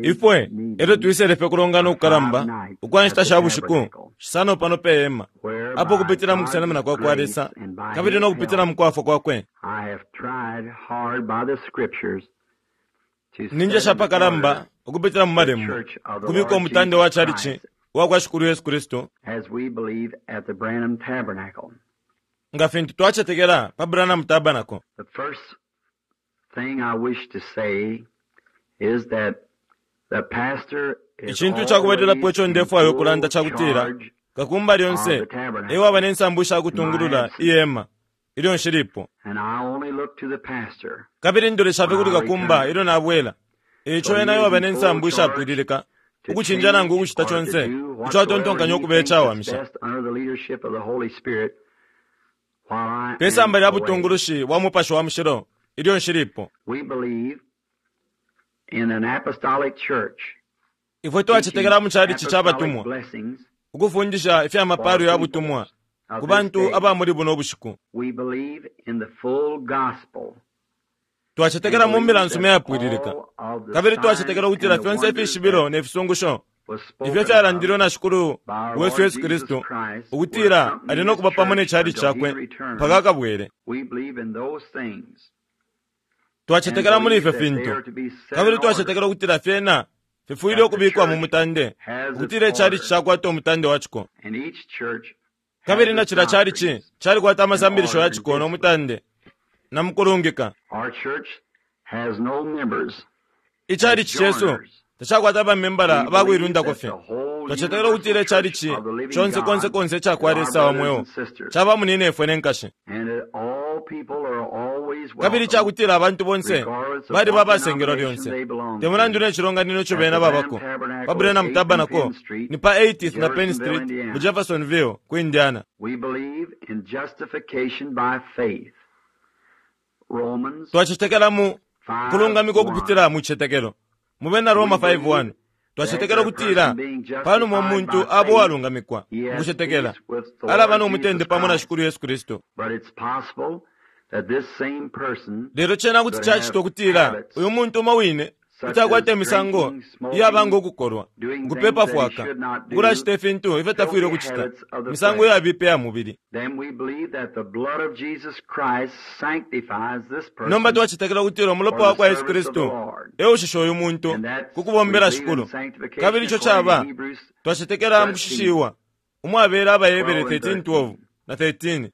Ifwe elyo twisele fye kulongana ukukalamba ukwa nshita sha bushiku shisano pano pe hema, apo ukupitila mu kusenamina kwa kwa Lesa kabili no kupitila mu kwafwa kwakwe, ninjesha apakalamba ukupitila mu Malembo ukubika umutande wa chalichi uwa kwa Shikulu Yesu Kristu, nga fintu twacetekela pa Branham Tabernacle. Icintu ica kubalilapo ico ndefwaya ukulanda ca kutila kakumba lyonse e waba ne nsambu sha kutungulula ihema ilyo nshilipo. Kabili ndolesha fye kuli kakumba ilyo nabwela. E ico ena e waba ne nsambu ishapwililika ukucinja nangu ukucita conse ico atontonkanya ukuba icawamisha. Pe samba lya butungulushi bwa Mupashi wa Mushilo ilyo nshilipo. Ifwe twacetekela mu Chalichi ca Batumwa, ukufundisha ifya mapalo ya butumwa ku bantu aba muli buno bushiku. Twacetekela mu Mbila nsuma iyapwililika, kabili twacetekela ukutila fyonse ifishibilo ne fisungusho ifyo fyalandilwe na Shikulu wesu Yesu Kristu ukutila ali no kuba pamo ne Chalichi Cakwe mpaka akabwele. Twacetekela muli ifyo fintu, kabili twacetekela ukutila fyena fifwile ukubikwa mu mutande, ukutila ichalichi cakwata umutande wa ciko. Kabili na cila chalichi calikwata amasambilisho ya ciko no mutande na mukulungika. Ichalichi cesu tacakwata bamembala abakuilundako fye. Twacetekela ukutila ichalichi conse konse konse ica kwa Lesa wa mweo ca bamunyinefwe ne nkashi. Kabili ica kutila abantu bonse baliba abasengelwa lyonse, te mulandu ne cilonganino ico bena babako. Pa Branham Tabernacle ni pa 80th na Penn Street mu Jeffersonville, ku Indiana. Twacetekela mu kulungamikwa ukupitila mu cicetekelo. Mu Bena Roma 5:1, twacetekela ukutila pa numa umuntu aba uwalungamikwa mu kucetekela, alaba no mutende pamo na Shikulu Yesu Kristu. Lelo cena kuti cacitwa ukutila uyu muntu umo wine kuti akwata imisango iyaba ngo kukolwa, ukupepa fwaka, ukulacita ifintu ifyo tafwile ukucita, imisango iyabipa iya mubili. Nomba twacetekela ukutila umulopa wa kwa Yesu Kristu e ushisha uyu muntu ku kubombela Shikulu. Kabili ico caba, twacetekela mu kushishiwa umwabela AbaHebere 13:12 na 13.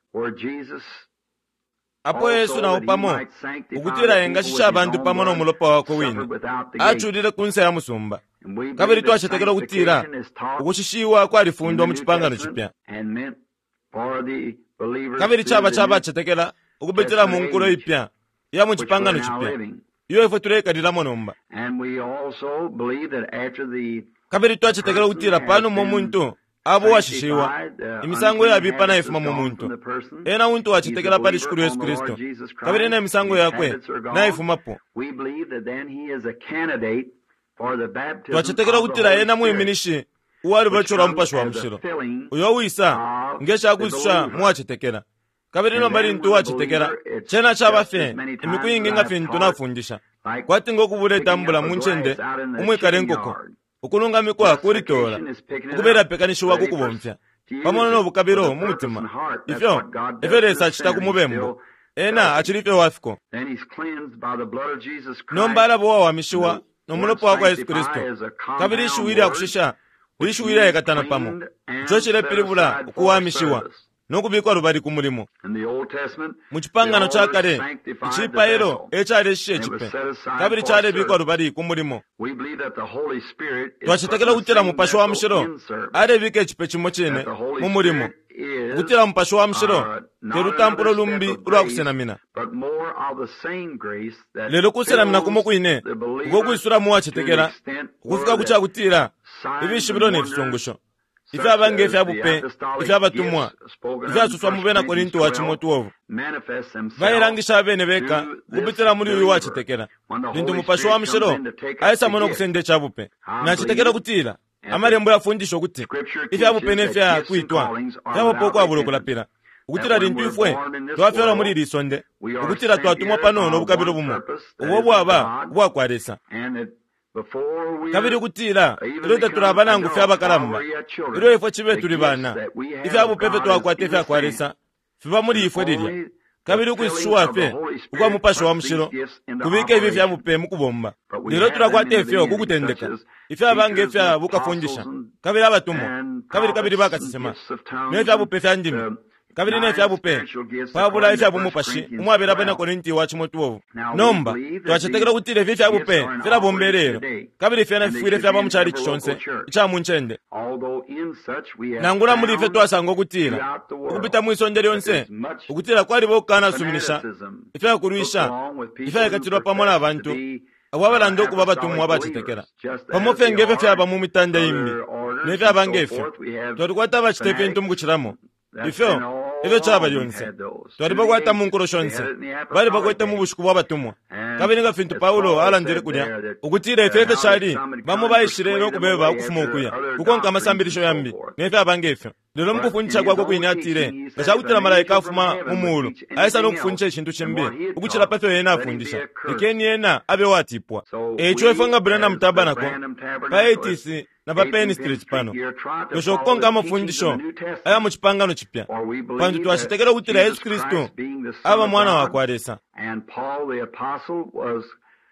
Apo Yesu na o pamo, ukutila engashisha abantu pamo no mulopa wakwe wine, aculile ku nse ya musumba. Kabili twacetekela ukutila ukushishiwa kwalifundwa mu Cipangano Cipya. Kabili caba ca bacetekela ukupitila mu nkulo ipya iya mu Cipangano Cipya iyo ifwe tuleikalilamo nomba. Kabili twacetekela ukutila pa numa umuntu aba uwashishiwa, imisango iyabipa naifuma mu muntu. Ena untu wacetekela pali Shikulu Yesu Kristu, kabili ne misango yakwe naifumapo. Twacetekela ukutila ena mwiminishi uwa lubatisho lwa Mupashi wa Mushilo, uyo uwisa nge cakwisusha mu wacetekela. Kabili nomba lintu uwacetekela, cena caba fye imiku iingi nga fintu nafundisha, kwati ngo kubula itambula mu ncende umwikala inkoko, ukulungamikwa kulitoola, ukubela pekanishiwa ku kubomfya, pamo no bukabilo mu mutima. Ifyo efyo Lesa acita ku mubembu. Ena acili fye uwafiko. Nomba alaba uwawamishiwa no mulopa wa kwa Yesu Kristu, kabili ishiwi lya kushisha lishiwi ilyaikatana pamo, ico cilepilibula ukuwamishiwa no kubikwa lubali ku mulimo. Mu Cipangano ca Kale, icipailo e caleshisha icipe kabili calebikwa lubali ku mulimo. Twacetekela ukutila Mupashi wa Mushilo alebika icipe cimo cine mu mulimo, ukutila Mupashi wa Mushilo te lutampulo lumbi ulwa kusenamina, lelo kusenamina kumo kwine uko kwisulamo uwacetekela ukufika ku ca kutila ifishibilo ne fisungusho ifyaba nge fya bupe ifya batumwa ifyasoswa mu Bena Korinto wa cimo 12 bailangisha abene beka ukupitila muli uyu wacetekela lintu Mupashi wa Mushilo aisamo no kusenda ica bupe. Nacetekela ukutila Amalembo yafundisha ukuti ifya bupe ne fya kwitwa fyabapo ukwabula ukulapila. Ukutila lintu ifwe twafyalwa muli ili sonde, ukutila twatumwa pano no bukabilo bumo, ubo bwaba ubwakwa Lesa. Kabili ukutila ilyo tatulaba nangu fye abakalamba, ilyo ifwe cibe tuli bana, ifya bupe ifyo twakwata ifya kwa Lesa fiba muli ifwe lilya. Kabili ukwisushiwa fye ukwa Mupashi wa Mushilo kubika ifi fya bupe mu kubomba. Lelo tulakwata ifyo ku kutendeka, ifyaba nge fya bukafundisha, kabili abatumwa, kabili kabili bakasesema, ne fya bupe fya ndimi, kabili ne fya bupe pabula ifya bumupashi umwabela Abena Korinti wa cimo 12. Nomba twacetekela ukutila ifi fya bupe filabomba ilelo, kabili fyena fifwile fyaba mu chalichi conse ica mu ncende. Nangula muli ifyo twasanga ukutila ukupita mwi sonde lyonse ukutila kwaliba ukukanasuminisha ifya kulwisha ifyaikatilwa pamo na bantu abo abalanda ukuba abatumwa abacetekela, pamo fye nge fyo fyaba mu mitande imbi ne fyaba nge fyo. Twalikwata abacita ifintu mu kucilamo. Ifyo efyo caba lyonse. Twalibakwata mu nkulo shonse. Balibakwete mu bushiku bwa batumwa. Kabili nga fintu Paulo alandile kulya, ukutila ifyo efyo cali, bamo baishile no kubeba ukufuma ukuya, kukonka amasambilisho yambi, ne fyaba nge fyo. Lelo mu kufundisha kwakwe kwine atile, nga ca kutila malaika afuma mu muulu, aisa no kufundisha icintu cimbi ukucila pa fyo ena afundisha, lekeni ena abe uwatipwa. E ico ifwe nga Branham Tabernacle, pa 80th na pa Penn Street pano, twesha ukukonka amafundisho aya mu Cipangano Cipya, pantu twacetekela ukutila Yesu Kristu aba Mwana wa kwa Lesa.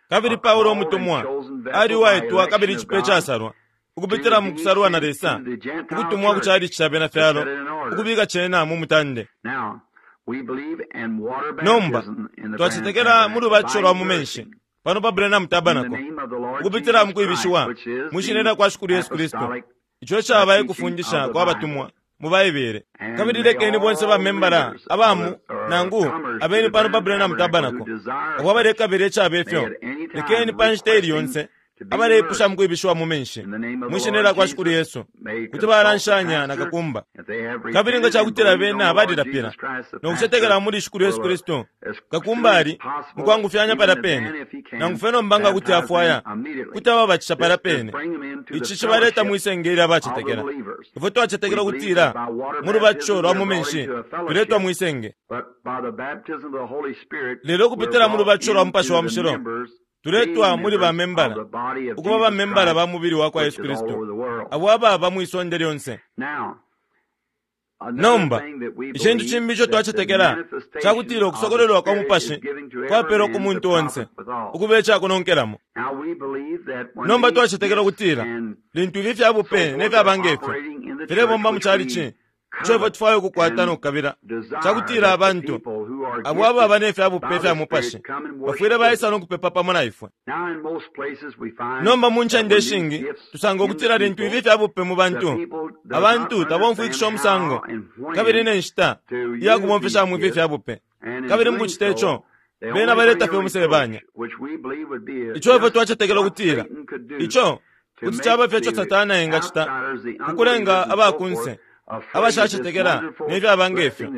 Kabili Paulo umutumwa ali uwaitwa kabili icipe icasalwa, ukupitila mu kusalwa na Lesa, ukutumwa ku chalichi ca Bena fyalo, ukubika cena mu mutande. Nomba, twacetekela mu lubatisho lwa mu menshi, pano pa Branham Tabernacle, ukupitila mu kwibishiwa mwi Shina lya kwa Shikulu Yesu Kristu, ico icaba e kufundisha kwa batumwa mu Baibele. Kabili lekeni bonse ba membala aba mu, nangu abeni pano pa Branham Tabernacle, abo abalekabila icaba ifyo, lekeni pa nshita ili yonse abaleipusha mu kwibishiwa mu menshi mwi Shina lya kwa Shikulu Yesu, kuti balanshanya na kakumba. Kabili nga cakutila bena balilapila no kucetekela muli Shikulu Yesu Kristu, kakumba ali mukwangufyanya palya pene, nangu fye nomba nga kuti afwaya, kuti ababatisha palya pene. Ici cibaleta mwi senge ilya bacetekela. Ifwe twacetekela ukutila mu lubatisho lwa mu menshi tuletwa mwi senge. Lelo ukupitila mu lubatisho lwa Mupashi wa Mushilo, tuletwa muli ba membala, ukuba ba membala ba mubili wa kwa Yesu Kristu, abo ababa mwi sonde lyonse. Nomba, icintu cimbi ico twacetekela ca kutila ukusokololwa kwa Mupashi kwapelwa ku muntu onse, ukuba ica kunonkelamo. Nomba twacetekela ukutila lintu ifi fya bupe ne fyaba nge fyo filebomba mu calici, ico ifwe tufwaya ukukwata no kukabila ca kutila abantu abo ababa ne fya bupe fya mupashi bafwile baisa no kupepa pamo na ifwe. Nomba mu ncende ishingi tusanga ukutila lintu ifi fya bupe mu bantu, abantu tabomfwikisha umusango kabili ne nshita iya kubomfeshamo ifi fya bupe, kabili mu kucita ico bena baleta fye umusebanya. Ico ifwe twacetekela ukutila ico kuti caba fye ico Satana engacita ku kulenga aba kunse abashacetekela ne fyaba nge fyo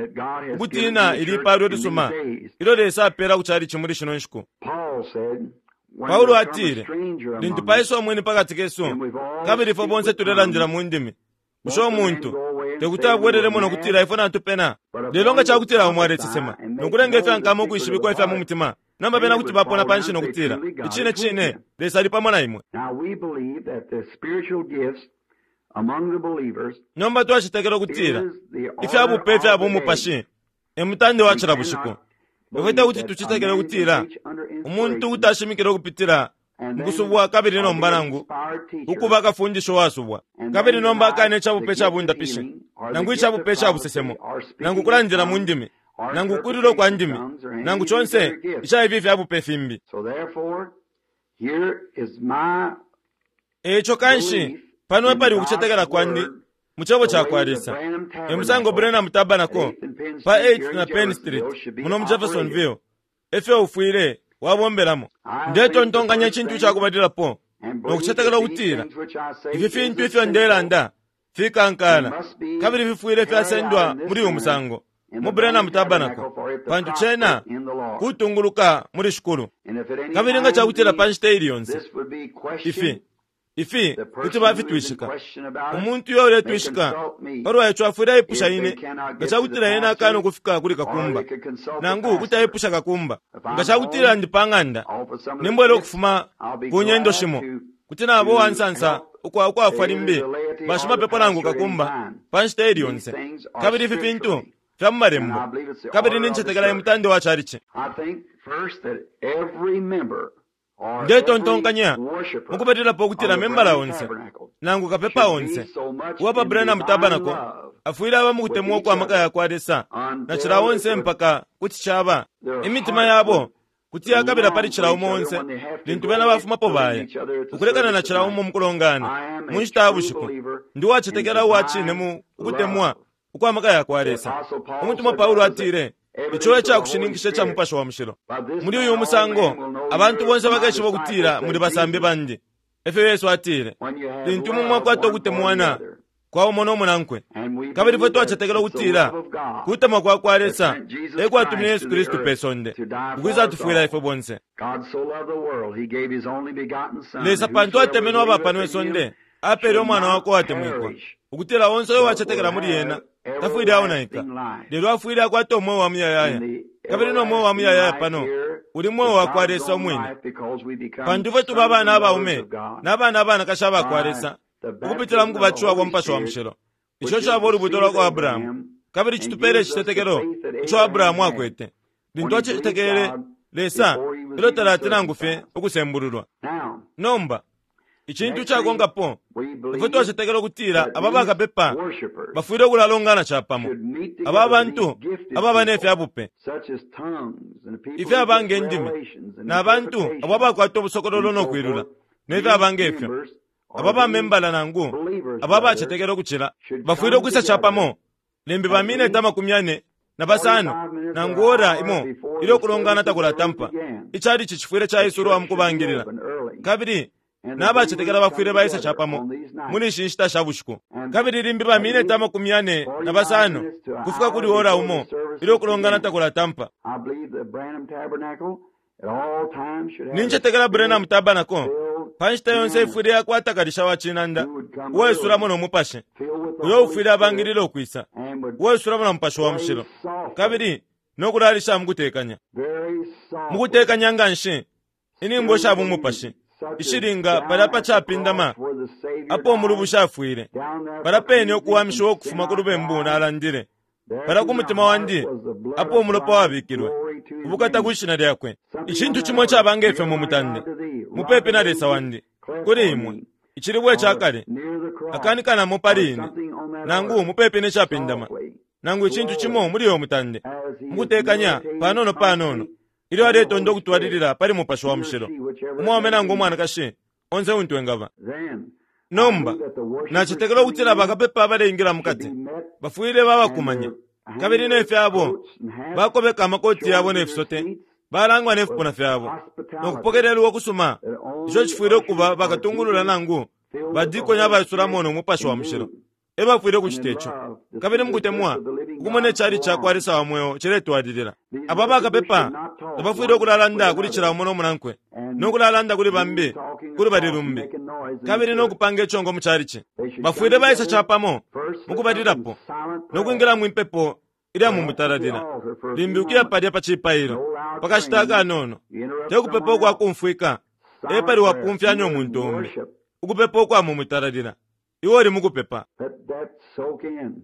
ukutiina ili ipalo ilisuma ilyo Lesa apeela ku calici muli shino nshiku. Paulo atile, lintu paisa umweni pa kati kesu, kabili ifwe bonse tulelandila mu ndimi, bushe umuntu te kuti abwelelemo no kutila ifwe natupena? Lelo nga ca kutila umo alesesema no kulenga ifya nkama ukwishibikwa ifya mu mutima, nomba bena kuti bapona panshi no kutila, Icine cine, Lesa ali pamo na imwe. Nomba twacetekela ukutila ifya bupe ifya bumupashi e mutande wa cila bushiku. Ifwe te kuti tucetekele ukutila umuntu kuti ashimikila ukupitila mu kusubwa kabili nomba nangu ukuba kafundisha uwasubwa kabili nomba akane ica bupe ca bundapishi nangu ica bupe ca busesemo nangu kulandila mu ndimi nangu ukulila kwa ndimi nangu conse ica ifi fya bupe fimbi. E ico kanshi pano epali ukucetekela kwandi mu Cebo cakwa Lesa. E musango Branham Tabernacle pa 8th na Penn Street muno mu Jeffersonville efyo ufwile wabombelamo. Ndetontonkanya icintu icakubalilapo no kucetekela ukutila ifi fintu ifyo ndelanda fikankala kabili fifwile fyasendwa muli uyu musango mu Branham Tabernacle, pantu cena kutunguluka muli Shikulu. Kabili nga cakutila pa nshita ili yonse ifi. Ifi The kuti person who is in bafitwishika. question about it Umuntu uyo may uletwishika consult me palwa ico afwile aipusha if they ine cannot nga get ca to the kutila ena akana pastor ukufika kuli or kakumba they could consult the nangu kuti pastor. aipusha kakumba. If Nga I'm ca kutila home ndi pa ng'anda off of some of the nimbwela trips, ukufuma I'll be ku nyendo glad shimo to kuti nabo uwa to nsansa help ukwafwa either limbi the laity or the bashimapepo nangu pastor at any kakumba time. pa nshita ili These yonse. things are Kabili ifi fintu scripturally, fya mu and malembo I believe it's the kabili order of the nincetekela church. emutande wa chalichi. I think first that every member or every Ndetontonkanya worshiper mukupatilapo of ukutila the membala Branham onse Tabernacle nangu kapepa should be onse so much uwa pa in Branham divine Tabernacle love afwile aba with mukutemwa each ukwa maka other ya kwa Lesa na cila until it onse would mpaka kuti caba their imitima hearts yabo would kuti yakabila pali long cila for umo each other onse when they have to lintu go bena to bafumapo leave baya each other at the ukulekana na service at cila night. umo mukulongana I am mu a nshita ya true bushiku. believer Ndi in uwacetekela uwa cine divine mu ukutemwa love. ukwa maka ya kwa The Lesa. Apostle Paul Umutumwa said Paulo that was the atile ico evidence of e the ca Holy kushininkisha ca Spirit. Mupashi wa Mushilo. By this Muli man uyu all musango men will know abantu you're bonse my bakeshiba ukutila disciples, muli said basambi Jesus, bandi. Efyo Yesu atile when you have lintu imwe love mwakwata one for the ukutemwana other. kwa umo no munankwe. And we Kabili fwe believe that twacetekela it's the ukutila love of God kutemwa kwa kwa that Lesa sent Jesus e kwatumine Christ Yesu to the Kristu pe earth sonde to die for ukwisa us tufwila all. ifwe bonse. God so loved the world, he gave his only begotten Son, Lesa that pantu whosoever atemenwe aba pano believeth in him isonde apeele should umwana not wakwe uwatemwikwa perish, ukutila onse uyo but wacetekela will muli ena have tafwile aonaika everlasting life. lelo afwile akwata umweo wa muyayaya. And the Kabili no mweo wa everlasting muyayaya life pano here uli mweo is wa kwa God's Lesa own umwine. life because we become Pantu ifwe tuba sons abana and daughters abaume of God na bana abanakashi aba kwa by Lesa the ukupitila mu baptism of the kubatishiwa kwa Holy Mupashi wa Spirit, Mushilo. which Ico is caba the ulubuto seed lwa of kwa Abrahamu Abraham, kabili and citupeele gives us the icitetekelo faith that ico Abraham Abrahamu had akwete when lintu he believed acetekele God Lesa before he was ilyo even talati nangu fye circumcised. ukusembululwa. Now, Nomba icintu next thing, cakonkapo we ifwe believe twacetekela ukutila that aba these bakapepa worshipers bafwile ukulalongana capamo. should meet Aba together, these bantu gifted ababa ne people, fya bupe such as tongues and the people who ifyaba get nge ndimi revelations and na bantu abo interpretations abakwata ubusokololo and no so kwilula forth. ne These fyaba nge fyo. members Aba or these bamembala nangu believers, aba rather, abacetekela ukucila should bafwile come ukwisa together capamo limbi at bamineti least amakumi ane na basano 45 minutes or nangu an ora hour imo before ilyo the kulongana services ever takulatampa. began. Icalici cifwile The caisulwa church mu should be kubangilila open early, kabili and the na abacetekela believers bafwile come baisa together capamo on these muli nights. ishi nshita sha bushiku And kabili limbi at bamineti least amakumi ane na 45 basano minutes to an kufika hour kuli ora before umo the services ilyo kulongana began. takulatampa. I believe the Branham Tabernacle at all times should have a Nincetekela Branham spirit Tabernacle filled pa nshita yonse pianist ifwile yakwata kalisha wa cinanda who would come uwaisulamo early, no mupashi filled with the uyo Holy ufwile Spirit, abangilila ukwisa and would uwaisulamo na mupashi wa play mushilo softly, kabili no kulalisha mukutekanya very softly, mukutekanya nga nshi inyimbo sha spiritual bumupashi music, such as ishilinga down palya pa at the capindama cross where the Savior apo died, umulubushi afwile down there palya for pene cleansing from ukuwamishiwa sin ukufuma ku I lubembu cried. nalandile There palya to ku my mutima heart wandi was the blood apo of umulopa Christ, wabikilwe glory to his ubukata name. kwi shina lyakwe Something on icintu that cimo order. caba nge fyo Near mu my mutande God to thee, rock mupepi of na Lesa ages, wandi cleft kuli for imwe me, icilibwe ca or kale near the cross, akanikanamo pali or ine something on that nangu order. mupepi ne capindama Softly, nangu icintu cimo slowly, muli uyo mutande as he is mukutekanya meditating panono panono constantly ilyo on the aletonda Holy Spirit, ukutwalilila pali mupashi wa he or mushilo she, whichever it umwaume may nangu be. umwanakashi onse untu engaba. Then I Nomba believe that the worshipers nacetekela coming ukutila in bakapepa abaleingila should mukati be met bafwile and babakumanya their kabili hang ne their fyabo coats and hats bakobeka amakoti showing yabo to ne their fisote seats balangwa ne with fipuna fyabo no hospitality kupokelelwa ukusuma that ico only cifwile ukuba ushers or bakatungulula deacons nangu filled with the badikoni Holy abaisulamo Spirit no mupashi wa can mushilo do, e bafwile and ukucita in ico love to see kabili the church mukutemwa of the living ukumona God icali go ca kwa on. Lesa wa mweo ciletwalilila. These Aba worshipers bakapepa should not talk tabafwile one with ukulalanda kuli cila another umo no munankwe no and kulalanda kuli move bambi talking kuli bali across and lumbi making noise in the kabili no church. kupanga icongo mu calici. They should come Bafwile baisa together capamo first lift up in mukubalilapo silent no prayer, kwingila mwimpepo ilya mu perhaps at the mutalalila altar for a limbi few ukuya moments. palya pa cipailo No loud pa kashita praying. akanono You interrupt te kupepa someone ukwa else. kumfwika Silent epali prayer. wapumfyanya You are in umuntu umbi worship. ukupepa ukwa mu mutalalila iwe uli mukupepa. Let that soak in.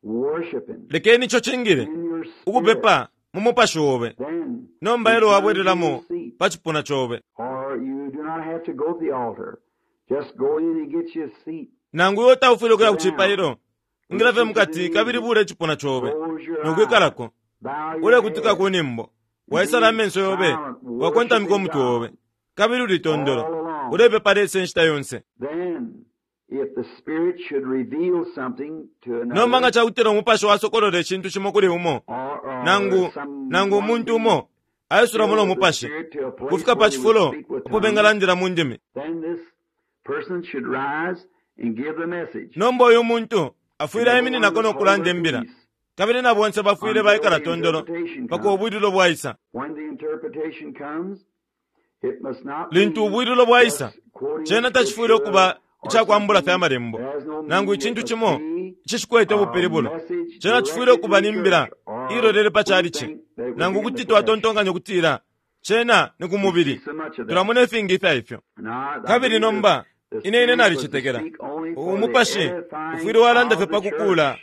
Worshiping Lekeni ico cingile in your spirit. ukupepa mu mupashi obe Then nomba elo return to your wabwelelamo seat. pa cipuna cobe Or you do not have to go to the altar. Just go in and get you a seat. nangu iwe taufwile ukuya Sit ku down. cipailo ingila fye Listen to the mukati kabili music. bula icipuna cobe Close your no eyes. kwikalako Bow your ulekutika head. ku nimbo And waisala be amenso yobe silent, wakontamika worshiping umutwe obe God kabili uli tondolo all along. ulepepa Lesa inshita yonse. Then, if the Spirit should reveal something to Nomba nga another, cakutila umupashi wasokolola icintu cimo kuli umo or nangu nangu someone umuntu be umo aisulamo filled no with the mupashi Spirit to a place kufika pa where they would cifulo speak with apo tongues, bengalandila mu ndimi. then this person should rise and give the message. Nomba uyu muntu And afwile everyone aimininako would no hold kulanda their imbila peace kabili na bonse bafwile until baikala the tondolo interpretation paka comes. ubwililo bwaisa. When the interpretation comes, it must not Lintu be ubwililo bwaisa just Cena tacifwile ukuba icakwambula fye Amalembo, nangu icintu cimo icishikwete ubupilibulo. Cena cifwile ukuba ni mbila iilolele pa chalichi, nangu kuti twatontonkanya ukutila cena ni ku mubili. Tulamona ifingi ifya ifyo. Kabili nomba, ine ine nalicetekela umupashi ufwile walanda fye pa kukuula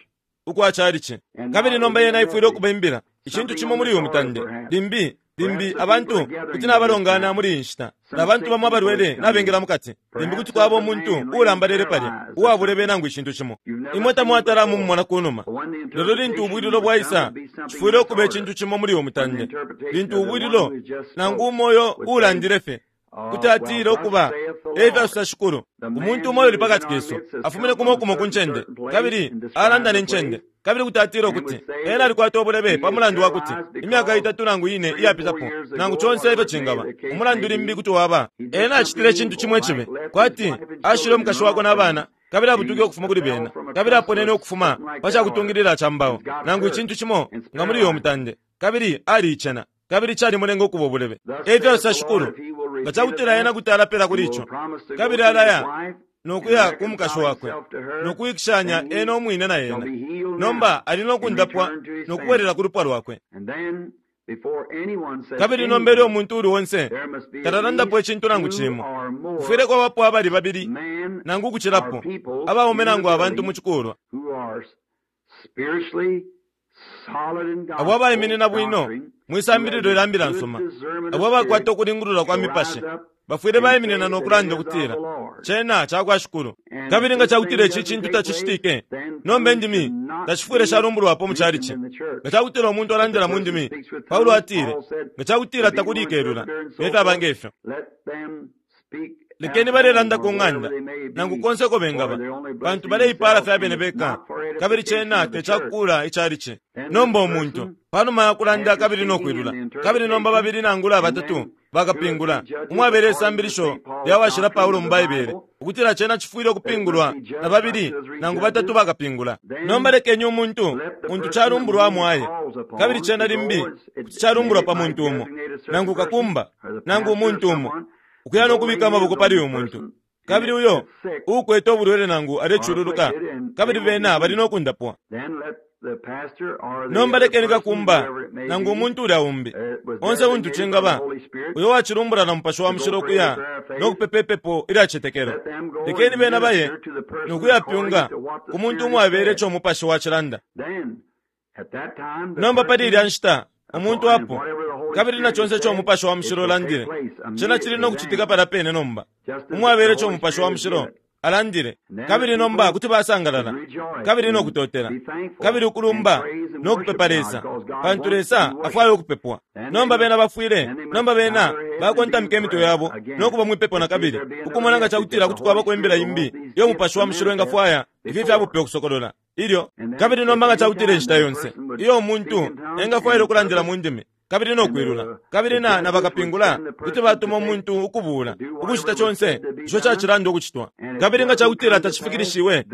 ukwa chalichi. Kabili nomba yena ifwile ukuba imbila, icintu cimo muli uyu mutande. Limbi, limbi abantu kuti nabalongana muli iyi nshita, na bantu bamo abalwele nabengela mukati. Limbi kuti kwaba umuntu uulambalele palya, uwabulebe nangu icintu cimo. Imwe tamwatala mumumona kunuma. Lelo lintu ubwililo bwaisa, cifwile ukuba icintu cimo muli uyu mutande. Lintu ubwililo, nangu umo uyo uulandile fye, kuti atila ukuba efyasosa Shikulu, umuntu umo uli pakati kesu afumine kumo kumo ku ncende, kabili alanda ne ncende, kabili kuti atila ukuti ena alikwata ubulebe pa mulandu wa kuti imyaka itatu nangu ine iyapitapo, nangu conse ifyo cingaba, umulandu limbi kuti waba ena acitile icintu cimo icibi, kwati ashile umukashi wakwe na bana, kabili abutuke ukufuma kuli bena, kabili aponene ukufuma pa cakutungilila ca mbao, nangu icintu cimo nga muli uyo mutande, kabili aliicena. Kabili calimulenga ukuba ubulebe. Efyasosa Shikulu, nga cakutila ena kuti alapela kuli ico, kabili alaya no kuya ku mukashi wakwe, no kuwikishanya ena umwine na ena, nomba ali no kundapwa no kubwelela ku lupwa lwakwe. Kabili nomba ilyo umuntu uuli onse talalandapo icintu nangu cimo, kufwile kwabapo abali babili nangu ukucilapo, abaume nangu abantu mu cikulwa, abo abaiminina bwino mwi sambililo lya mbila nsuma, abo abakwata ukulingulula kwa mipashi, bafwile baiminina no kulanda ukutila cena ca kwa Shikulu. Kabili nga cakutila ici cintu tacicitike, nomba indimi tashifwile shalumbulwapo mu chalichi. Nga cakutila umuntu alandila mu ndimi, Paulo atile, nga cakutila takuli ikelula, ne fyaba nge fyo, lekeni balelanda ku ng'anda nangu konse uko bengaba, pantu baleipaala fye abene beka, kabili cena te cakukuula icalici. Nomba umuntu, panuma ya kulanda kabili no kwilula, kabili nomba babili nangula batatu bakapingula, umwabela isambilisho lya washila Paulo mu Baibele, ukutila cena cifwile ukupingulwa na babili nangu batatu bakapingula. Nomba lekeni umuntu untu calumbulwa amwaye, kabili cena limbi kuti calumbulwa pa muntu umo, nangu kakumba, nangu umuntu umo, ukuya no kubika amaboko pali uyu muntu, kabili uyo uukwete ubulwele nangu alecululuka, kabili bena bali no kundapwa. Nomba lekeni kakumba nangu umuntu ulya umbi, onse untu cingaba, uyo wacilumbula na Mupashi wa Mushilo ukuya no kupepa ipepo ilya cicetekelo, lekeni bena baye no kuyapyunga ku muntu umwabele ico Umupashi wacilanda. Nomba pali ilya nshita umuntu apo, kabili na conse ico Umupashi wa Mushilo ulandile, cena cili no kucitika palya pene nomba, umwabele ico Umupashi wa Mushilo alandile. Kabili nomba kuti basangalala kabili no kutotela kabili ukulumba no kupepa Lesa, pantu Lesa afwaya ukupepwa. Nomba bena bafwile, nomba bena bakontamika imitwe yabo no kuba mwipepo nakabili, ukumona nga cakutila kuti kwabako imbila imbi iyo Umupashi wa Mushilo engafwaya ifi ifya bupe ukusokolola. Ilyo, kabili nomba nga cakutila inshita yonse iyo umuntu engafwaila ukulandila mu ndimi kabili no kwilula, kabili na, na bakapingula kuti batuma umuntu ukubuula ukucita conse ico cacilanda ukucitwa, kabili nga cakutila tacifikilishiwe,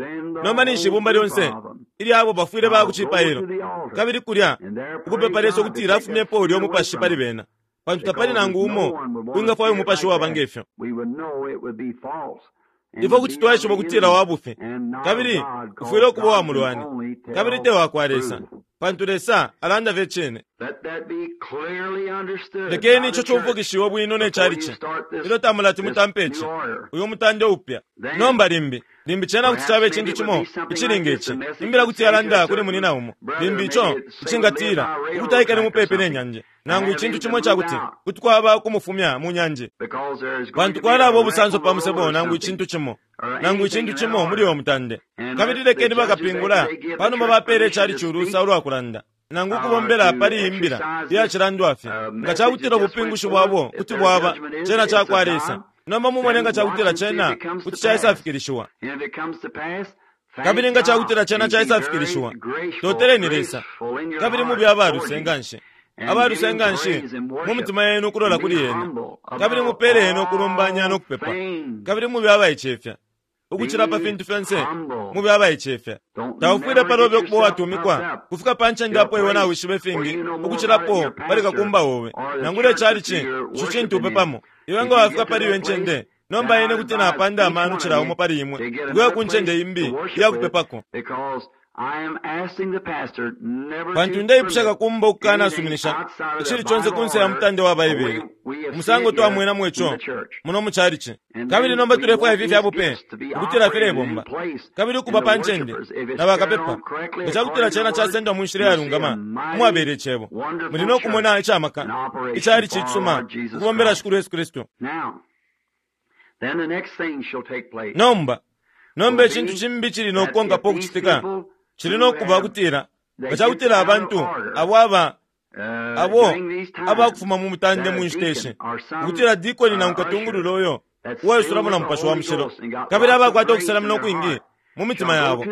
nomba ninshi ibumba lyonse ilya abo bafwile baya ku cipailo kabili kulya ukupepa Lesa ukutila afumyepo ulyo mupashi pali bena, pantu tapali nangu umo wingafwaya umupashi uwaba nge fyo. Ifwe kuti twaishiba ukutila wa bufi, kabili ufwile ukuba uwa mulwani, kabili te wa kwa Lesa, pantu Lesa alanda fye icine. Lekeni ico cumfwikishiwe bwino ne chalichi ilyo tamulati mutampe ici, uyu mutande upya. Nomba limbi, limbi cena kuti caba icintu cimo icili nge ci. Imbila kuti yalanda kuli munyina umo, limbi ico icingatila ukuti aikale mupepi ne nyanje, nangu icintu cimo ica kuti kuti kwaba ukumufumya mu nyanje, pantu kwalaba ubusanso pa musebo nangu icintu cimo, nangu icintu cimo muli uyo mutande. Kabili lekeni bakapingula panuma bapele icalici ulusa ulwa kulanda nangu ukubombela pali iyi mbila iyacilandwa fye, nga cakutila ubupingushi bwabo kuti bwaba cena cakwa Lesa. Nomba mumone nga cakutila cena kuti caisafikilishiwa. Kabili nga cakutila cena caisafikilishiwa, toteleni Lesa, kabili mube abaluse nganshi, abaluse nganshi mu mitima yenu ukulola kuli Ena, kabili mupele Ena ukulumbanya no kupepa, kabili mube abaicefya ukucila pa fintu fyonse, mube abaicefya. Taufwile palobe ukuba uwatumikwa kufika pa ncende apo iwe nawishiba ifingi ukucilapo pali kakumba obe, nangula icalici ico cintu upepamo. Iwe nga wafika pali iyo ncende, Nomba ine kuti napanda amano cila umo pali imwe ukuya ku ncende imbi iya kupepako. Pantu ndeipusha kakumba ukukanasuminisha icili conse kunse ya mutande wa Baibele, umusango twamwenamo ico muno mu chalichi. Kabili nomba tulefwaya ifi fya bupe ukutila filebomba kabili ukuba pa ncende na bakapepa. Nga cakutila cena casendwa mu nshila iyalungama umwabela Icebo, muli no kumona icamaka ichalichi icisuma ukubombela Shikulu Yesu Kristu. Nomba, nomba icintu cimbi cili no kukonkapo ukucitika cili no kuba kutila nga cakutila abantu abo aba abo abakufuma mu mutande mu nshita ishi, ukutila dikoni nangu katungulula uyo uwaisulamo na Mupashi wa Mushilo kabili abakwata ukuselamina ukwingi mu mitima yabo,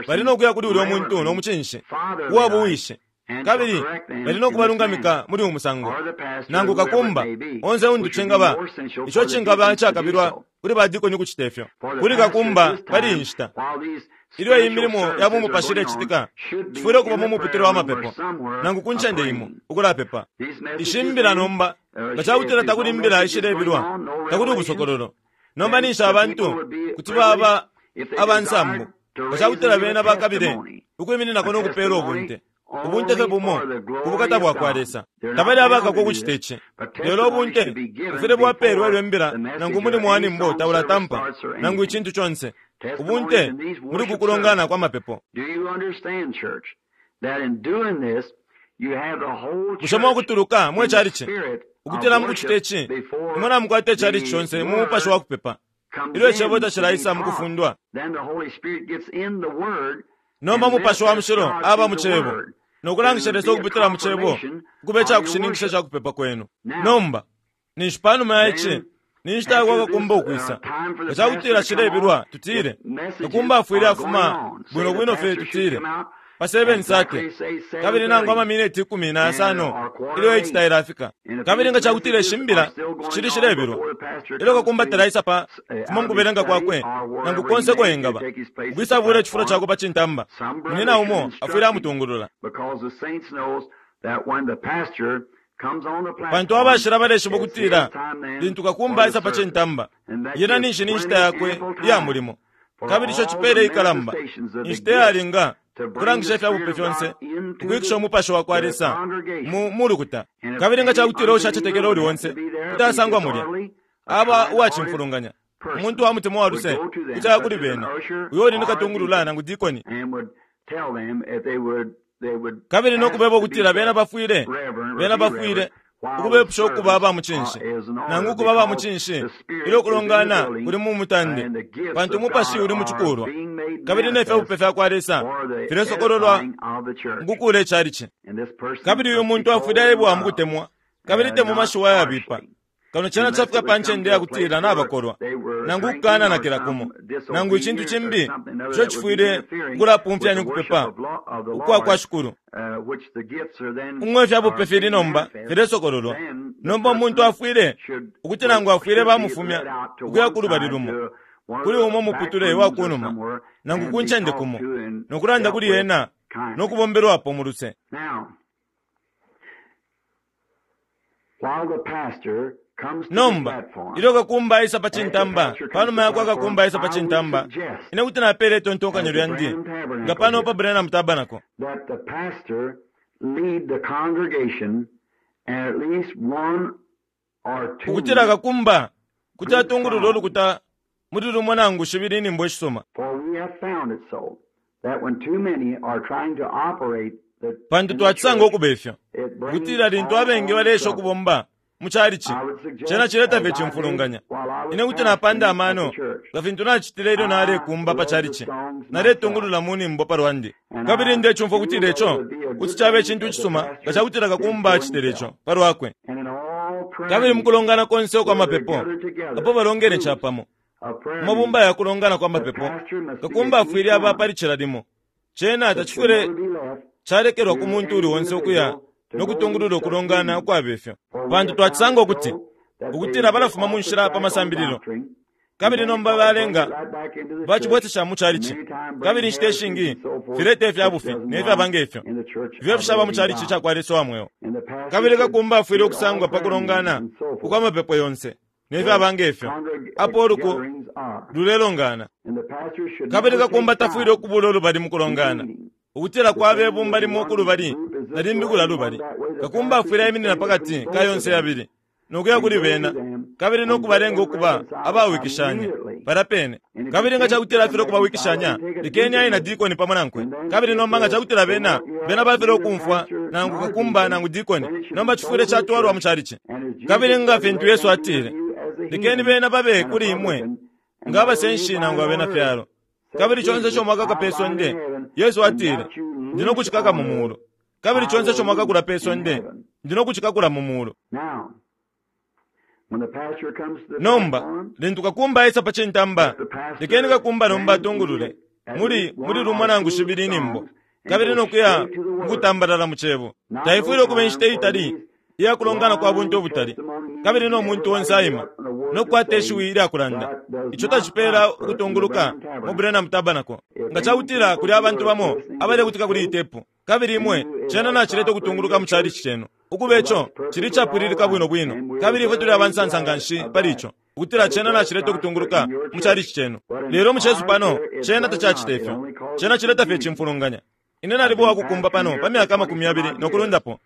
bali no kuya kuli ulyo muntu no mucinshi uwa buwishi, kabili bali no kubalungamika muli uyu musango, nangu kakumba onse untu cingaba, ico cingaba icakabilwa kuli badikoni ukucita ifyo kuli kakumba pali iyi nshita. Ilyo iyi milimo ya bumupashi ilecitika, tufwile ukuba mu muputule wa mapepo nangu ku ncende imo ukulapepa. Ishi mbila nomba, nga ca kutila takuli imbila ishilebilwa, takuli ubusokololo, nomba ninshi abantu kuti baba aba nsambu nga ca kutila bena bakabile ukwimininako no kupeela ubunte. Ubunte fye bumo ku bukata bwa kwa Lesa. Tabali abakakwa ukucita ici. Lelo ubunte bufwile bwapeelwa ilyo imbila nangu umulimo wa nimbo taulatampa, nangu icintu conse. Ubunte muli uku kulongana kwa mapepo. Bushe mwakutuluka, mwe chalichi, ukutila mukucita ici, imwe namukwata ichalichi conse mu mupashi wa kupepa, ilyo Icebo tacilaisa mukufundwa? Nomba Mupashi wa Mushilo aba mu Cebo, no kulangisha Lesa ukupitila mu Cebo ukuba icakushininkisha ca kupepa kwenu. Nomba, ninshi panuma ya ici, ni nshita yakwa kakumba ukwisa. Nga cakutila cilebilwa, tutile, kakumba afwile afuma bwino bwino fye, tutile, pa 7:30, kabili nangu amamineti 15 ilyo 8 tailafika. Kabili nga cakutila ishi mbila shicili shilebilwa, ilyo kakumba talaisa pa fuma mukubelenga kwakwe, nangu konse uko engaba, ukwisa bula icifulo cakwe pa cintamba, munyina umo afwile amutungulula. Pantu abashila baleshiba ukutila lintu kakumba aisa pa cintamba, yena ninshi ni nshita yakwe iya mulimo. Kabili ico cipeele ikalamba, inshita iyalinga ukulangisha ifya bupe fyonse, ukwikisha umupashi wa kwa Lesa mu mu lukuta. Kabili nga ca kutila uushacetekela uuli onse kuti asangwa mulya, aba uwacimfulunganya, umuntu wa mutima wa luse kuti aya kuli bena, uyo uli ni katungulula nangu dikoni, kabili no kubeba ukutila bena bafwile, bena bafwile ukubepusha ukuba aba mucinshi, nangu ukuba aba mucinshi ilyo ukulongana kuli mu mutande, pantu umupashi uli mu cikulwa, kabili ne fya bupe fya kwa Lesa filesokololwa mukukuula icalici. Kabili uyu muntu afwile aebwa mu kutemwa, kabili te mu mashiwi ayabipa, kano cena cafika pa ncende ya kutila nabakolwa, nangu ukukananakila kumo, nangu icintu cimbi ico cifwile ukulapumfyanya ukupepa ukwa kwa Shikulu. Umo ifya bupe fili nomba filesokololwa. Nomba umuntu afwile ukuti nangu afwile bamufumya ukuya ku lubali lumo, kuli umo muputule wa kunuma, nangu ku ncende kumo, no kulanda kuli ena no kubombelwapo mu luse. Nomba, ilyo kakumba aisa pa cintamba, panuma yakwa kakumba aisa pa cintamba, ine kuti napela itontonkanyo lyandi, nga pano pa Branham Tabernacle. Ukutila kakumba kuti atungulula ulukuta muli lumo nangu shibili inyimbo ishisuma. Pantu twacisanga ukuba ifyo, ukutila lintu abengi baleesha ukubomba mu chalichi, cena cileta fye icimfulunganya. Ine kuti napanda amano, nga fintu nacitile ilyo nalekumba pa chalichi, naletungulula mu nyimbo pa lwandi. Kabili ndecumfwa ukutila ico kuti caba icintu icisuma nga cakutila kakumba acitile ico pa lwakwe. Kabili mukulongana konse ukwa mapepo, apo balongene capamo, mu mabumba ya kulongana kwa mapepo, kakumba afwile aba pali cila limo. Cena tacifwile calekelwa ku muntu uuli onse ukuya no kutungulula ukulongana ukwaba ifyo, pantu twacisanga ukuti, ukutila balafuma mu nshila pa masambililo, kabili nomba balenga bacibwesesha mu chalichi, kabili inshita ishingi fileta ifya bufi ne fyaba nge fyo, ifyo fishaba mu chalichi ca kwa Lesa wa mweo. Kabili kakumba afwile ukusangwa pa kulongana ukwa mapepo yonse. ne fyaba nge fyo, apo uluku lulelongana. Kabili kakumba tafwile ukubula ulubali mu kulongana, ukutila kwaba ibumba limo uku lubali na limbi kulya lubali. Kakumba afwile aiminina pa kati ka yonse yabili, no kuya kuli bena, kabili no kubalenga ukuba abawikishanya palya pene. Kabili nga cakutila afilwa ukubawikishanya, lekeni aye na dikoni pamo nankwe. Kabili nomba nga cakutila bena, bena bafilwa ukumfwa nangu kakumba nangu dikoni, nomba cifwile catwalwa mu chalichi. Kabili nga fintu Yesu atile, Lekeni bena babe kuli imwe nga abasenshi nangu abena fyalo. Kabili conse ico mwakaka pe sonde, Yesu atile, Ndi no kucikaka mu mulu. Kabili conse ico mwakakula pe sonde, Ndi no kucikakula mu mulu. Nomba, lintu kakumba aisa pa cintamba, lekeni kakumba nomba atungulule muli, muli lumo nangu shibili inyimbo, kabili no kuya mukutambalala mu Cebo. Taifwile ukuba inshita itali iya kulongana kwa buntu ubutali, kabili no muntu onse aima no kukwata ishiwi ilya kulanda. Ico tacipela ukutunguluka mu Branham Tabernacle. Nga cakutila kuli abantu bamo abalekutika kuli iyi tepu, kabili imwe, cena nacileta ukutunguluka mu chalichi cenu. Ukuba ico, cili icapwililika bwino bwino, kabili ifwe tuli abansansa nganshi pali ico, ukutila cena nacileta ukutunguluka mu chalichi cenu. Lelo mu cesu pano, cena tacacita ifyo. Cena cileta fye icimfulunganya. Ine naliba uwakukumba pano pa myaka amakumi yabili no kulundapo,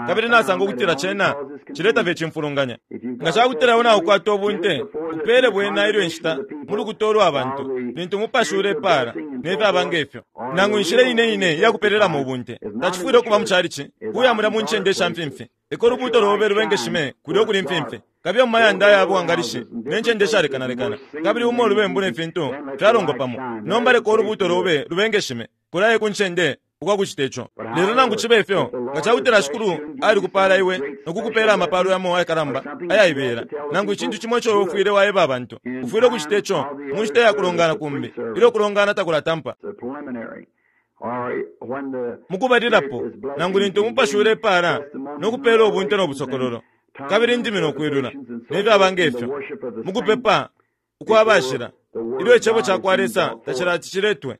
kabili nasanga ukutila cena cileta fye icimfulunganya. Nga cakutila iwe naukwata ubunte, upele bwena ilyo inshita mu lukuta ulwa bantu, lintu Umupashi ulepaala, ne fyaba nge fyo, nangu inshila ine ine iya kupelelamo ubunte. Tacifwile ukuba mu chalichi, kuya mulya mu ncende isha mfimfi. Leka ulubuuto lobe lubengeshime kulya ukuli imfimfi. Kabiye mu mayanda aya bwangalishi ne ncende ishalekanalekana, kabili umo ulubembu ne fintu fyalongwa pamo. Nomba leka ulubuuto lobe lubengeshime. Kulaye ku ncende ukwa kucita ico. Lelo nangu cibe ifyo, nga ca kutila Shikulu alikupaala iwe no kukupeela amapaalo yamo ayakalamba ayaibela, nangu icintu cimo ico iwe ufwile waeba abantu, ufwile ukucita ico mu nshita ya kulongana kumbi ilyo ukulongana takulatampa. Mu kubalilapo, nangu lintu umupashi ulepaala no kupeela ubunte no busokololo, kabili indimi no kwilula, ne fyaba nge fyo, mu kupepa ukwa bashila, ilyo Icebo ca kwa Lesa tacilati ciletwe.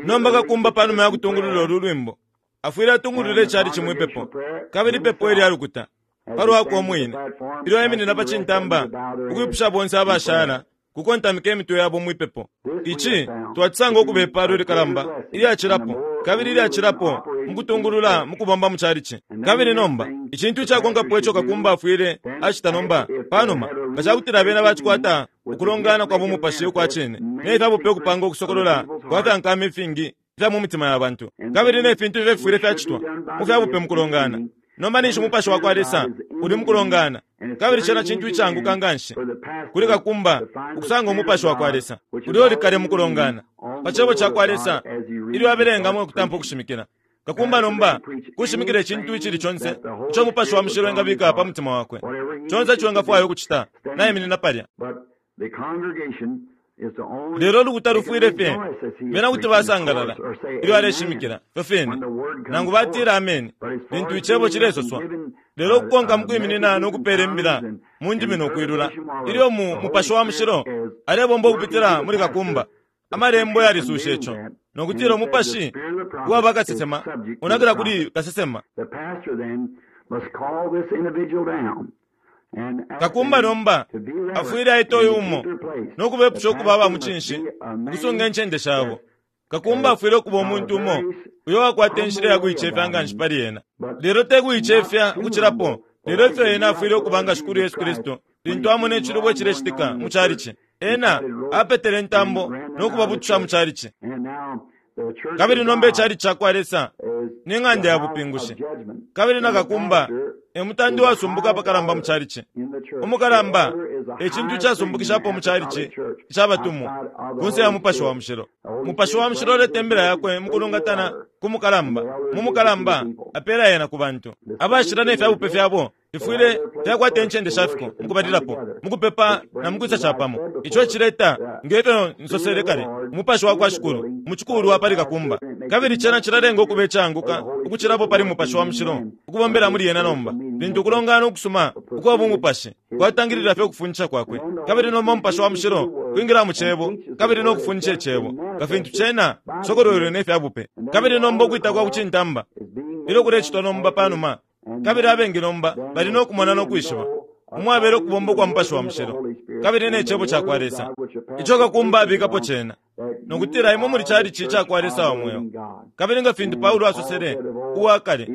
Nomba kakumba pa numa ya kutungulula ulu lwimbo, afwile atungulula icalici mwi pepo, kabili ipepo ilya lukuta, pa lwakwe umwine, ilyo aiminina pa cintamba ukwipusha bonse abashala kukontamika imitwe yabo mwi pepo. Ici twacisanga ukuba ipaalo ilikalamba ilyacilapo kabili ilyacilapo mu kutungulula mu kubomba mu calici. Kabili nomba, icintu icakonkapo ico kakumba afwile acita nomba, panuma, nga cakutila bena bacikwata ukulongana kwa bumupashi ukwa cine, ne fya bupe ukupanga ukusokolola kwa fya nkama ifingi ifya mu mitima ya bantu, kabili ne fintu ifyo ififwile fyacitwa mu fya bupe mu kulongana. Nomba ninshi Umupashi wa kwa Lesa uli mu kulongana, kabili cena cintu icaanguka nganshi kuli kakumba ukusanga Umupashi wa kwa Lesa ulya uli kale mu kulongana pa Cebo ca kwa Lesa ilyo abelengamo no kutampa ukushimikila. Kakumba nomba kushimikila icintu icili conse ico Umupashi wa Mushilo engabika pa mutima wakwe. Conse ico engafwaya ukucita, naiminina palya. Lelo ulukuta lufwile fye, bena kuti basangalala ilyo aleshimikila, ifyo fine, nangu batila ameni lintu icebo cilesoswa. Lelo ukukonka mu kwiminina no kupela imbila mu ndimi no kwilula, ilyo mu Mupashi wa Mushilo alebomba ukupitila muli kakumba, Amalembo yalisusha ico, no kutila umupashi uwa bakasesema unakila kuli kasesema. Kakumba nomba afwile aita uyu umo no kubepusha ukuba aba mucinshi ukusunga incende shabo. Kakumba afwile ukuba umuntu umo uyo wakwata inshila ya kuicefya nganshi pali ena, lelo te kuicefya ukucilapo, lelo ifyo ena afwile ukuba nga Shikulu Yesu Kristu lintu amona icilubo icilecitika mu calici. Ena apetele intambo no kubabutusha mu calici. Kabili nomba icalici ca kwa Lesa ni ng'anda ya bupingushi, kabili na kakumba e mutandi wasumbuka apakalamba mu calici. Umukalamba e cintu icasumbukishapo mu calici ica batumwa, ku nse ya Mupashi wa Mushilo. Mupashi wa Mushilo uleta imbila yakwe mu kulungatana ku mukalamba, mu mukalamba apeela yena ku bantu. Abashila ne fya bupe fyabo fifwile fyakwata incende sha fiko mu kubalilapo, mu kupepa na mu kwisa capamo. Ico ecileta, nge fyo nsosele kale, Umupashi wa kwa Shikulu mu cikulwa pali kakumba. Kabili cena cilalenga ukuba icaanguka ukucilapo pali Mupashi wa Mushilo ukubombela muli yena nomba, lintu ukulongana ukusuma ukwa bumupashi kwatangilila fye ukufundisha kwakwe. Kabili nomba Umupashi wa Mushilo kwingila mu Cebo kabili no kufundisha Icebo, nga fintu cena cisokolwelwe ne fya bupe. Kabili nomba ukwita kwa kucintamba ilyo kulecitwa nomba panuma. Kabili abengi nomba bali no kumona no kwishiba umwabela ukubomba kwa Mupashi wa Mushilo kabili ne Cebo cakwa Lesa ico kakumba abikapo cena, no kutila imwe muli chalichi cakwa Lesa wa mweo. Kabili nga fintu Paulo asosele uwa kale,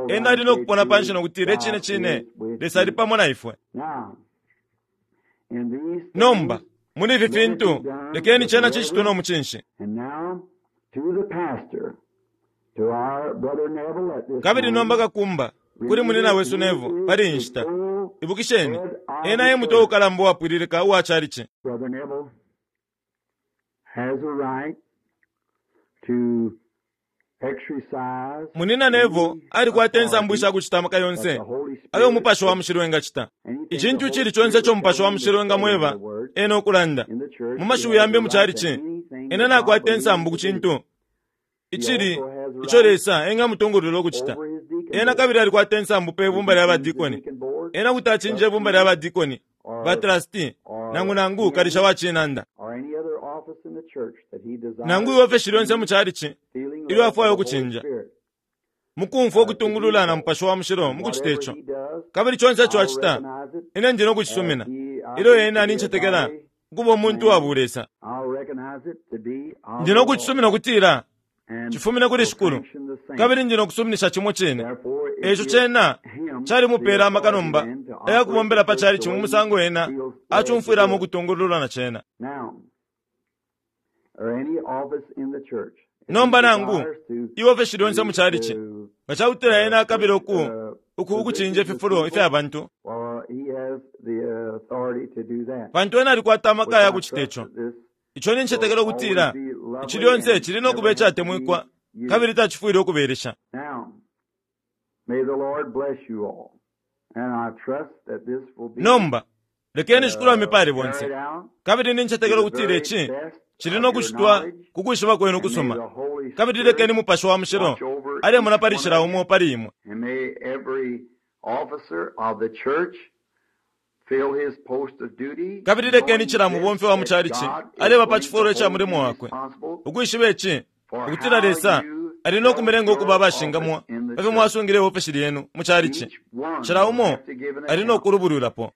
ena ali no kupona panshi no kutila icine cine Lesa ali pamo na ifwe. Nomba, muli ifi fintu, lekeni cena cicitwe no mucinshi. Kabili nomba kakumba, kuli munina wesu Neville pali iyi nshita. Ibukisheni, ena e mutwe ukalamba uwapwililika uwa chalichi. Munina Neville alikwata insambu isha kucita amaka yonse ayo Umupashi wa Mushilo engacita. Icintu icili conse ico Umupashi wa Mushilo engamweba ena ukulanda, mu mashiwi yambi mu chalichi, ena nakwata insambu ku cintu icili ico Lesa engamutungulula ukucita. Ena kabili alikwata insambu pe bumba lya badikoni. Ena kuti acinja ibumba lya badikoni, batrasti, nangu nangu kalisha wa cinanda, nangu iofeshi lyonse mu chalichi ilyo afwaya ukucinja, mukumfwa ukutungulula na Mupashi wa Mushilo mukucita ico. Kabili conse ico acita, ine ndi no kucisumina, ilyo ena nincetekela ukuba umuntu wa bulesa. Ndi no kucisumina ukutila cifumine kuli Shikulu, kabili ndi no kusuminisha cimo cine. Eico cena calimupela amaka nomba ayakubombela pa chalichi mu musango ena acumfwilamo ukutungululwa na cena. Nomba nangu iofeshi lyonse mu chalichi, nga cakutila ena akabila uku uku ukucinja ififulo ifya bantu, pantu ena alikwata amaka ya kucita ico. Ico nincetekela ukutila ici lyonse cili no kuba icatemwikwa kabili tacifwile ukubelesha. Nomba, lekeni Shikulu amipale bonse. Kabili nincetekela ukutila ici cili no kucitwa ku kwishiba kwenu kusuma. Kabili lekeni Mupashi wa Mushilo alemona pali cila umo pali imwe. Kabili lekeni cila mubomfi wa mu chalichi aleba pa cifulo ica mulimo wakwe, ukwishiba ici, ukutila Lesa ali no kumilenga ukuba abashingamwa pa fyo mwasungile iofeshi lyenu mu chalichi. Cila umo ali no kulubulwilapo.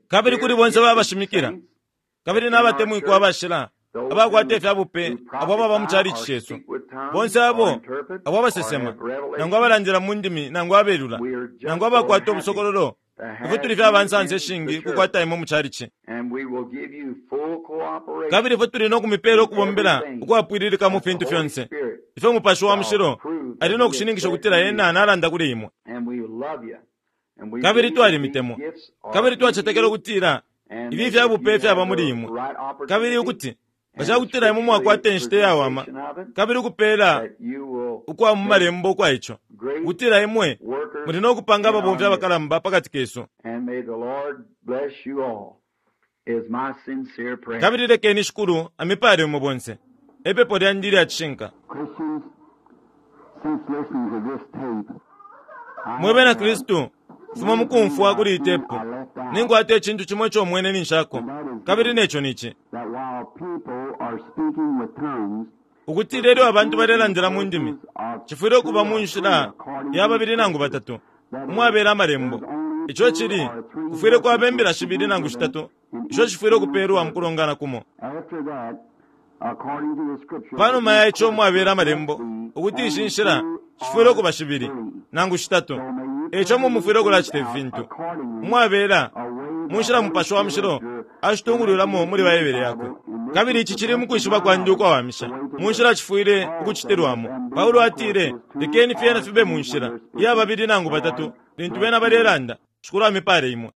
Kabili kuli bonse babashimikila kabili nabatemwikwa abashila abakwata ifya bupe abo ababa mu chalichi cesu, bonse abo abo abasesema nangu abalandila mu ndimi nangu abelula nangu abakwata ubusokololo, ifwe tuli fye abansansa ishingi kukwata imwe mu chalichi. Kabili ifwe tuli no kumipela ukubombela ukwapwililika mu fintu fyonse ifyo Mupashi wa Mushilo ali no kushininkisha ukutila ena nalanda kuli imwe. Kabili twalimitemwa, kabili twacetekela ukutila ifi ifya bupe fyaba muli imwe, kabili ukuti nga ca kutila imwe mwakwata inshita iyawama kabili ukupeela ukwa mu malembo ukwa ico, ukutila imwe muli no kupanga ababomfi abakalamba pa kati kesu. Kabili lekeni Shikulu amipale imwe bonse, e pepo lyandi ilya cishinka. Mwe Bena Kristu, fuma mukumfwa kuli iyi tepu, ninkwata icintu cimo ico mwene ninshako, kabili neco nici. Ukutila ilyo abantu balelandila mu ndimi, cifwile ukuba mu nshila ya babili nangu batatu, umwabela amalembo. Ico cili, kufwile kwaba imbila shibili nangu shitatu isho shifwile ukupelwa mu kulongana kumo. Panuma ya ico umwabela amalembo, ukuti ishi nshila shifwile ukuba shibili nangu shitatu. Eico mumufwile ukulacita ifi fintu umwabela mu nshila Mupashi wa Mushilo ashitungulwilamo muli Baibele yakwe. Kabili ici cili mukwishiba kwandi ukwawamisha, mu nshila cifwile ukucitilwamo. Paulo atile, Lekeni fyena fibe mu nshila iya babili nangu batatu lintu bena balelanda. Shikulu amipale imwe.